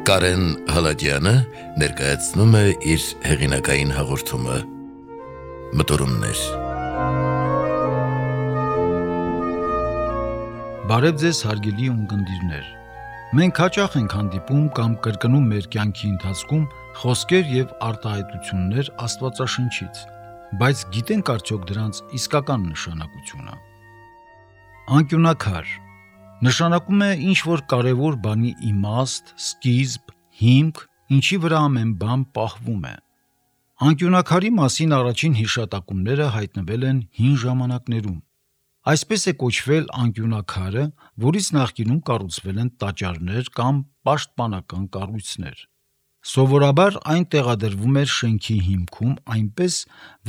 Կարեն Հալաջյանը ներկայացնում է իր հեղինակային հաղորդումը Մտորումներ։ Բարև ձեզ հարգելի ունկնդիրներ։ Մենք հաճախ ենք հանդիպում կամ կրկնում մեր կյանքի ընթացքում խոսքեր եւ արտահայտություններ Աստվածաշնչից, բայց գիտենք արդյոք դրանց իսկական նշանակությունը։ Անկյունակար նշանակում է ինչ-որ կարևոր բանի իմաստ, սկիզբ, հիմք, ինչի վրա ամեն բան պահվում է։ Անկյունակարի մասին առաջին հիշատակումները հայտնվել են հին ժամանակներում։ Այսպես է կոչվել անկյունակարը, որից նախկինում կառուցվել են տաճարներ կամ պաշտպանական կառույցներ։ Սովորաբար այն տեղադրվում էր շենքի հիմքում այնպես,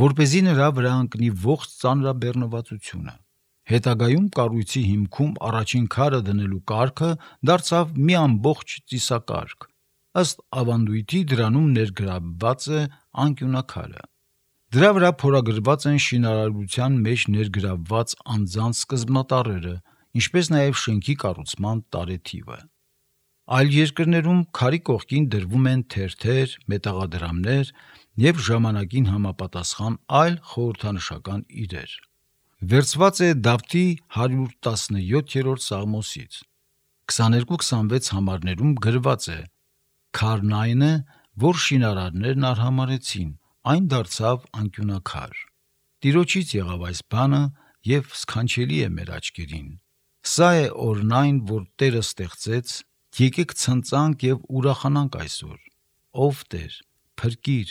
որպեսզի նրա վրա ընկնի ողջ ծանրաբեռնվածությունը։ Հետագայում կառույցի հիմքում առաջին քարը դնելու կարգը դարձավ մի ամբողջ ծիսակարգ։ Ըստ ավանդույթի դրանում ներգրավված է անկյունակարը։ Դրա վրա փորագրված են շինարարության մեջ ներգրավված անձանց սկզբնատառերը, ինչպես նաև շենքի կառուցման տարեթիվը։ Այլ երկրներում քարի կողքին դրվում են թերթեր, մետաղադրամներ և ժամանակին համապատասխան այլ խորհրդանշական իրեր։ Վերցված է Դավթի 117-րդ Սաղմոսից։ 22-26 համարներում գրված է. «Քարն այն է, որ շինարարներն արհամարհեցին, այն դարձավ անկյունակար։ Տիրոջից եղավ այս բանը և սքանչելի է մեր աչքերին։ Սա է օրն այն, որ Տերը ստեղծեց, եկեք ցնծանք և ուրախանանք այսօր։ Ով Տեր, փրկիր,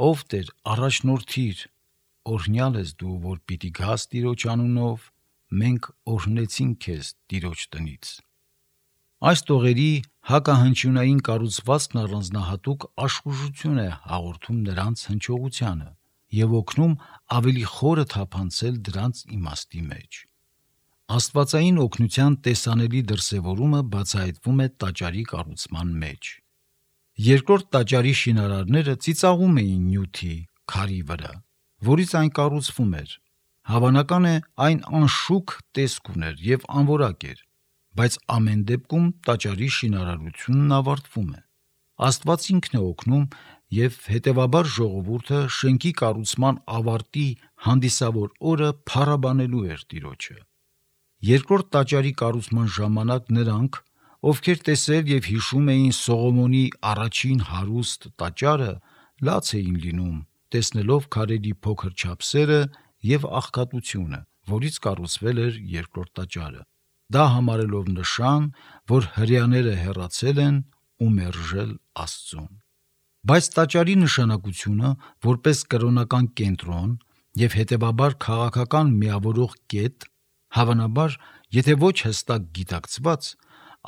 ով Տեր, առաջնորդիր։ Օրհնյալ ես դու, որ պիտի գաս Տիրոջ անունով, մենք օրհնեցինք քեզ Տիրոջ տնից»։ Այս տողերի հակահնչյունային կառուցվածքն առանձնահատուկ աշխուժություն է հաղորդում նրանց հնչողությանը և օգնում ավելի խորը թափանցել դրանց իմաստի մեջ։ Աստվածային օգնության տեսանելի դրսևորումը բացահայտվում է տաճարի կառուցման մեջ։ Երկրորդ տաճարի շինարարները ծիծաղում էին նյութի, քարի վրա, որից այն կառուցվում էր։ Հավանական է, այն անշուք տեսք ուներ և անորակ էր, բայց ամեն դեպքում տաճարի շինարարությունն ավարտվում է։ Աստված ինքն է օգնում և հետևաբար ժողովուրդը շենքի կառուցման ավարտի հանդիսավոր օրը փառաբանելու էր Տիրոջը։ Երկրորդ տաճարի կառուցման ժամանակ նրանք, ովքեր տեսել և հիշում էին Սողոմոնի առաջին հարուստ տաճարը, լաց էին լինում, տեսնելով քարերի փոքր չափսերը և աղքատությունը, որից կառուցվել էր երկրորդ տաճարը, դա համարելով նշան, որ հրեաները հեռացել են ու մերժել Աստծուն։ Բայց տաճարի նշանակությունը որպես կրոնական կենտրոն և հետևաբար քաղաքական միավորող կետ, հավանաբար, եթե ոչ հստակ գիտակցված,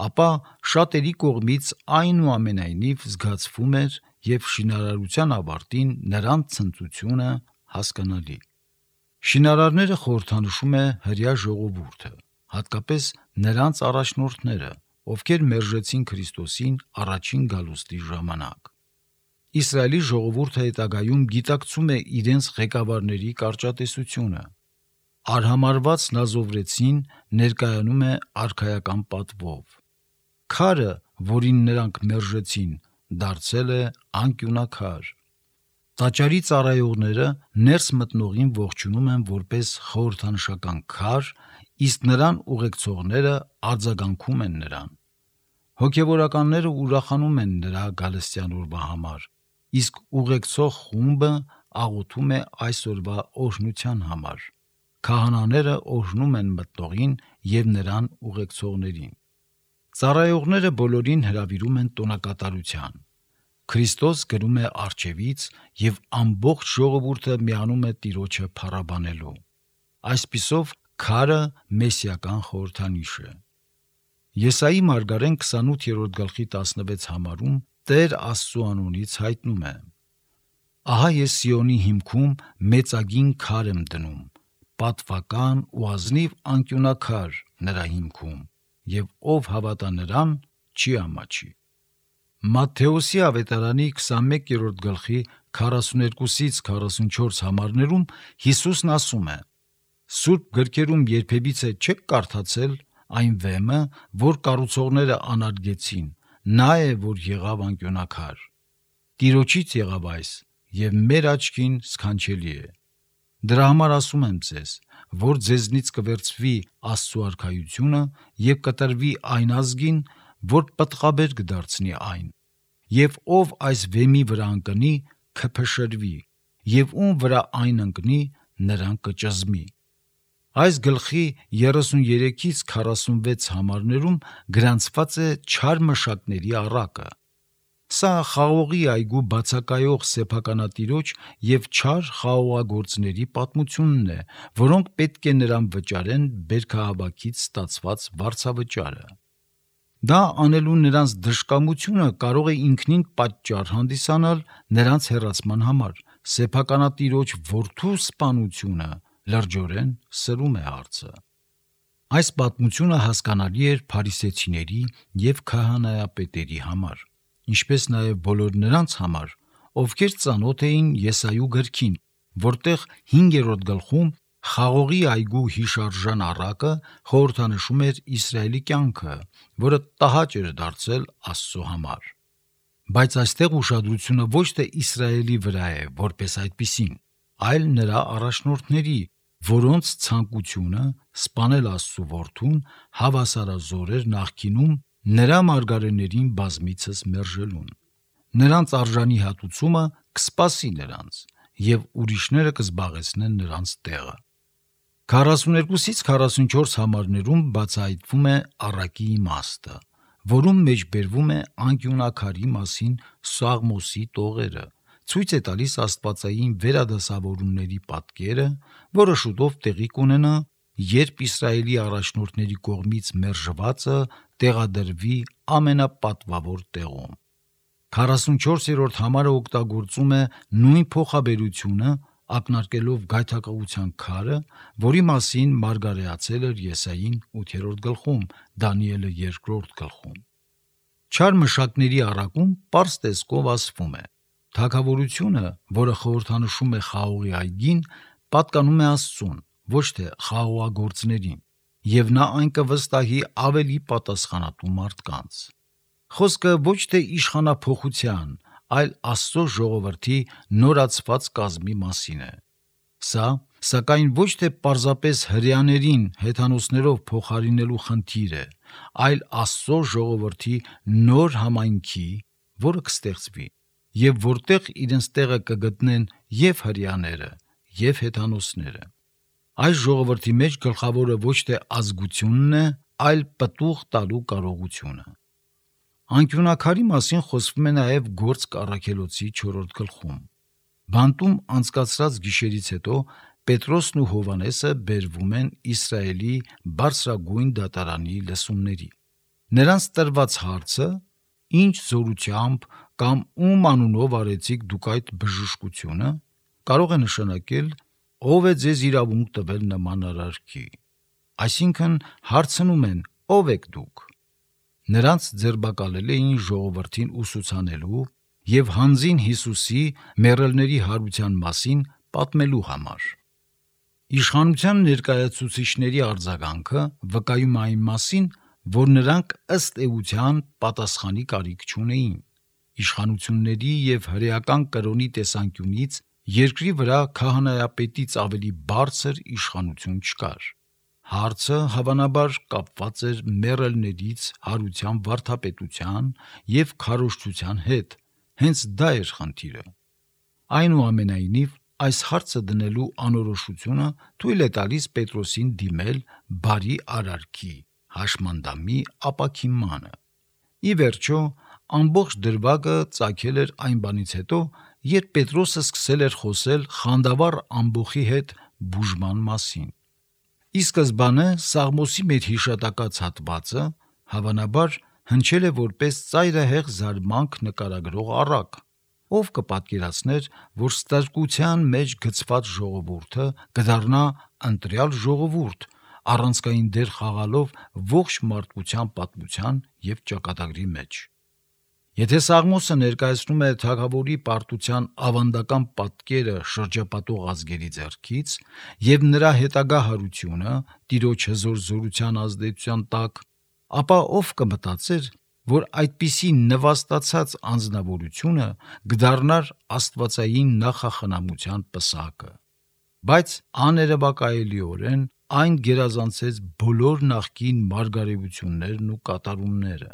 ապա շատերի կողմից այնուամենայնիվ զգացվում էր և շինարարության ավարտին նրանց ցնծությունը հասկանալի։ Շինարարները խորհրդանշում է հրեա ժողովուրդը, հատկապես նրանց առաջնորդները, ովքեր մերժեցին Քրիստոսին առաջին գալուստի ժամանակ։ Իսրայելի ժողովուրդը հետագայում գիտակցում է իրենց ղեկավարների կարճատեսությունը։ Արհամարհված նազովրեցին ներկայանում է արքայական պատվով։ Քարը, որին նրանք մերժեցին, դարձել է անկյունակար։ Տաճարի ծառայողները ներս մտնողին ողջունում են որպես խորհրդանշական քար, իսկ նրան ուղեկցողները արձագանքում են նրան։ Հոգևորականները ուրախանում են նրա գալստյան օրվա համար, իսկ ուղեկցող խումբը աղոթում է այս օրվա օրհնության համար։ Քահանաները օրհնում են մտնողին և նրան ուղեկցողներին։ Ծառայողները բոլորին հրավիրում են տոնակատարության։ Քրիստոս գրում է առջևից և ամբողջ ժողովուրդը միանում է Տիրոջը փառաբանելու։ Այսպիսով քարը մեսիական խորհրդանիշ է։ Եսայի մարգարեն 28-րդ 16 համարում Տեր Աստծու անունից հայտնում է. «Ահա ես Սիոնի հիմքում մեծագին քար եմ դնում, պատվական ու ազնիվ անկյունակար նրա հիմքում, և ով հավատա նրան, չի ամաչի»։ Մատթեոսի ավետարանի 21-րդ 42-44 համարներում Հիսուսն ասում է. «Սուրբ գրքերում երբևիցե չեք կարդացել այն վեմը, որ կառուցողները անարգեցին, նա է, որ եղավ անկյոնակար։ Տիրոջից եղավ այս, եւ մեր աչքին սքանչելի է։ Դրա համար ասում եմ ձեզ, որ ձեզնից կվերցվի Աստծո արքայությունը եւ կտրվի այն ազգին, որ պտղաբեր կդարձնի այն, եւ ով այս վեմի վրա ընկնի, կփշրվի, եւ ում վրա այն ընկնի, նրան կճզմի։ Այս գլխի 33-ից 46 համարներում գրանցված է չար մշակների առակը։ Սա խաղողի այգու բացակայող սեփականատիրոջ եւ չար խաղողագործների պատմությունն է, որոնք պետք է նրան վճարեն բերքահավաքից ստացված վարձավճարը։ Դա անելու նրանց դժկամությունը կարող է ինքնին պատճառ հանդիսանալ նրանց հեռացման համար։ Սեփականատիրոջ որդու սպանությունը լրջորեն սրում է հարցը։ Այս պատմությունը հասկանալի էր փարիսեցիների եւ քահանայապետերի համար, ինչպես նաև բոլոր նրանց համար, ովքեր ծանոթ էին Եսայու գրքին, որտեղ 5-րդ գլխում խաղողի այգու հիշարժան առակը խորհրդանշում էր Իսրայելի կյանքը, որը տհաճ էր դարձել Աստծո համար։ Բայց այստեղ ուշադրությունը ոչ թե Իսրայելի վրա է որպես այդպիսին, այլ նրա առաջնորդների, որոնց ցանկությունը սպանել Աստծո որդուն հավասարազոր էր նախկինում նրա մարգարեներին բազմիցս մերժելուն։ Նրանց արժանի հատուցումը կսպասի նրանց, եւ ուրիշները կզբաղեցնեն նրանց տեղը։ 42-ից 44 համարներում բացահայտվում է առակի իմաստը, որում մեջ բերվում է անկյունակարի մասին Սաղմոսի տողերը, ցույց է տալիս աստվածային վերադասավորումների պատկերը, որը շուտով տեղի կունենա, երբ Իսրայելի առաջնորդների կողմից մերժվածը տեղադրվի ամենապատվավոր տեղում։ 44-րդ համարը օգտագործում է նույն փոխաբերությունը, ակնարկելով գայթակղության քարը, որի մասին մարգարեացել էր Եսային 8-րդ գլխում, Դանիելը 2-րդ գլխում։ Չար մշակների առակում պարզ տեսքով ասվում է. թագավորությունը, որը խորհրդանշում է խաղողի այգին, պատկանում է Աստծուն, ոչ թե խաղողագործներին, եւ նա այն կվստահի ավելի պատասխանատու մարդկանց։ Խոսքը ոչ թե իշխանափոխության, այլ Աստծո ժողովրդի նորացված կազմի մասին է։ Սա, սակայն, ոչ թե պարզապես հրեաներին հեթանոսներով փոխարինելու խնդիր է, այլ Աստծո ժողովրդի նոր համայնքի, որը կստեղծվի, եւ որտեղ իրենց տեղը կգտնեն եւ հրեաները, եւ հեթանոսները։ Այս ժողովրդի մեջ գլխավորը ոչ թե ազգությունն է, այլ պտուղ տալու կարողությունը։ Անկյունակարի մասին խոսվում է նաև Գործք առաքելոցի 4-րդ գլխում։ Բանտում անցկացրած գիշերից հետո Պետրոսն ու Հովհաննեսը բերվում են Իսրայելի բարձրագույն դատարանի լսումների։ Նրանց տրված հարցը՝ ինչ զորությամբ կամ ում անունով արեցիք դուք այդ բժշկությունը, կարող է նշանակել ով է ձեզ իրավունք տվել նման արարքի։ Այսինքն հարցնում են ով եք դուք։ Նրանց ձերբակալել էին ժողովրդին ուսուցանելու եւ հանձին Հիսուսի մեռելների հարության մասին պատմելու համար։ Իշխանության ներկայացուցիչների արձագանքը վկայում է այն մասին, որ նրանք ըստ էության պատասխանի կարիք չունեին։ Իշխանությունների եւ հրեական կրոնի տեսանկյունից երկրի վրա քահանայապետից ավելի բարձր իշխանություն չկար։ Հարցը հավանաբար կապված էր մեռելներից հարության վարդապետության եւ քարոզչության հետ, հենց դա էր խնդիրը։ Այնուամենայնիվ, այս հարցը դնելու անորոշությունը թույլ է տալիս Պետրոսին դիմել բարի արարքի հաշմանդամի ապաքինմանը։ Ի վերջո, ամբողջ դրվագը ծագել էր այն բանից հետո, երբ Պետրոսը սկսել էր խոսել խանդավառ ամբոխի հետ բուժման մասին։ Ի սկզբանե Սաղմոսի մեր հիշատակած հատվածը հավանաբար հնչել է որպես ծայրահեղ զարմանք նկարագրող առակ, ով կպատկերացներ, որ ստրկության մեջ գցված ժողովուրդը կդառնա ընտրյալ ժողովուրդ, առանցքային դեր խաղալով ողջ մարդկության պատմության եւ ճակատագրի մեջ։ Եթե Սաղմոսը ներկայացնում է թագավորի պարտության ավանդական պատկերը շրջապատող ազգերի ձեռքից եւ նրա հետագա հարությունը տիրոջ հզոր զորության ազդեցության տակ, ապա ով կմտածեր, որ այդպիսի նվաստացած անձնավորությունը կդառնար աստվածային նախախնամության պսակը։ Բայց աներևակայելիորեն այն գերազանցեց բոլոր նախկին մարգարեություններն ու կատարումները։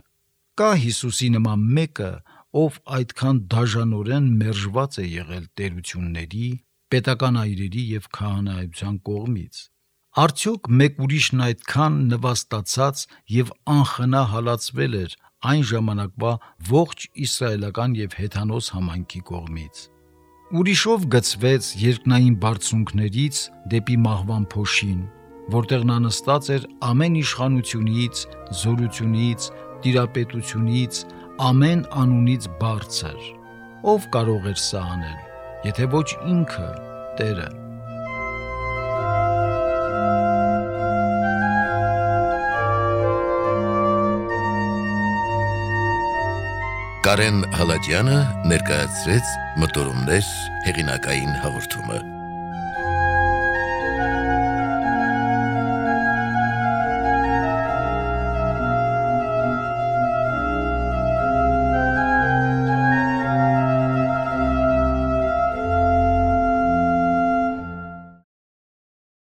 Կա Հիսուսի նման մեկը, ով այդքան դաժանորեն մերժված է եղել տերությունների, պետական այրերի եւ քահանայության կողմից։ Արդյոք մեկ ուրիշն այդքան նվաստացած եւ անխնա հալածվել էր այն ժամանակվա ողջ իսրայելական եւ հեթանոս համայնքի կողմից։ Ուրիշով գծվեց երկնային բարձունքներից դեպի մահվան փոշին, որտեղ նա նստած էր ամեն իշխանությունից, զորությունից, տիրապետությունից, ամեն անունից բարձր։ Ով կարող էր սա անել, եթե ոչ ինքը, Տերը։ Կարեն Հալաջյանը ներկայացրեց Մտորումներ հեղինակային հաղորդումը։